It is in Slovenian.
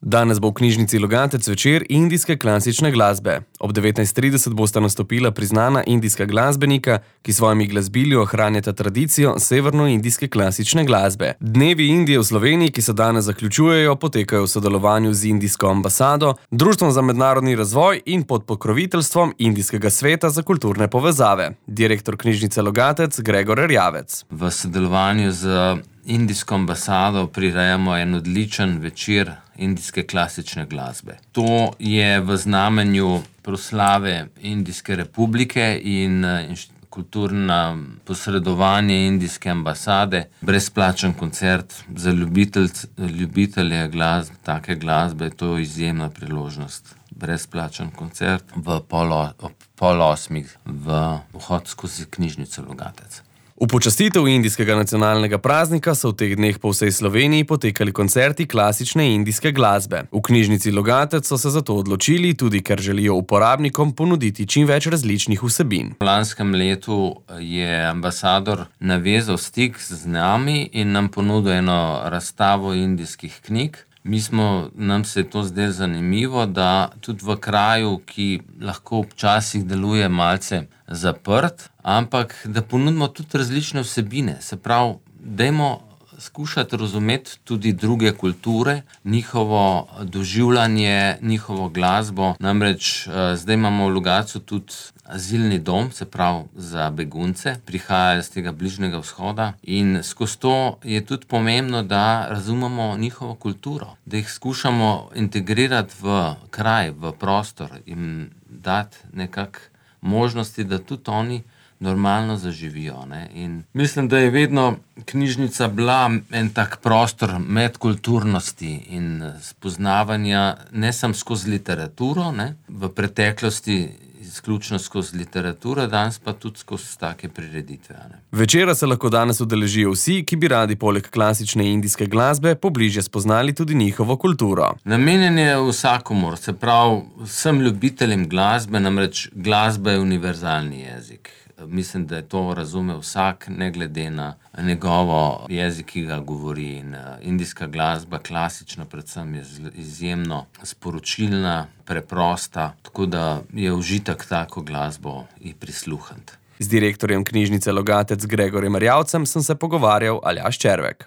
Danes bo v knjižnici Logatec večer indijske klasične glasbe. Ob 19:30 bosta nastopila priznana indijska glasbenika, ki svojimi glasbili ohranjata tradicijo severnoindijske klasične glasbe. Dnevi Indije v Sloveniji, ki se danes zaključujejo, potekajo v sodelovanju z indijsko ambasado, Društvom za mednarodni razvoj in pod pokroviteljstvom Indijskega sveta za kulturne povezave. Direktor knjižnice Logatec Gregor Erjavec. V sodelovanju z indijsko ambasado prirejamo en odličen večer indijske klasične glasbe. To je v znamenju proslave Indijske republike in kulturno posredovanje indijske ambasade, brezplačen koncert za ljubitelje take glasbe, to je izjemna priložnost. Brezplačen koncert ob 7:30 v vhod skozi knjižnico Logatec. V počastitev indijskega nacionalnega praznika so v teh dneh po vsej Sloveniji potekali koncerti klasične indijske glasbe. V knjižnici Logatec so se zato odločili, tudi ker želijo uporabnikom ponuditi čim več različnih vsebin. V lanskem letu je ambasador navezal stik z nami in nam ponudil eno razstavo indijskih knjig. Nam se je to zdelo zanimivo, da tudi v kraju, ki lahko včasih deluje malce zaprt, ampak da ponudimo tudi različne vsebine. Se pravi, dajmo skušati razumeti tudi druge kulture, njihovo doživljanje, njihovo glasbo. Namreč zdaj imamo v Logatcu tudi azilni dom, se pravi za begunce, prihajajo z tega Bližnjega vzhoda in skozi to je tudi pomembno, da razumemo njihovo kulturo, da jih skušamo integrirati v kraj, v prostor in dati nekako možnosti, da tudi oni normalno zaživijo. In mislim, da je vedno knjižnica bila en tak prostor medkulturnosti in spoznavanja, ne samo skozi literaturo, v preteklosti izključno skozi literaturo, danes pa tudi skozi take prireditve. Večera se lahko danes udeležijo vsi, ki bi radi poleg klasične indijske glasbe pobližje spoznali tudi njihovo kulturo. Namenjen je vsakomur, se pravi vsem ljubiteljem glasbe, namreč glasba je univerzalni jezik. Mislim, da je to razume vsak, ne glede na njegovo jezik, ki ga govori. In indijska glasba, klasična predvsem, je izjemno sporočilna, preprosta, tako da je užitek tako glasbo in prisluhniti. Z direktorjem knjižnice Logatec Gregorjem Erjavcem sem se pogovarjal Aljaž Červek.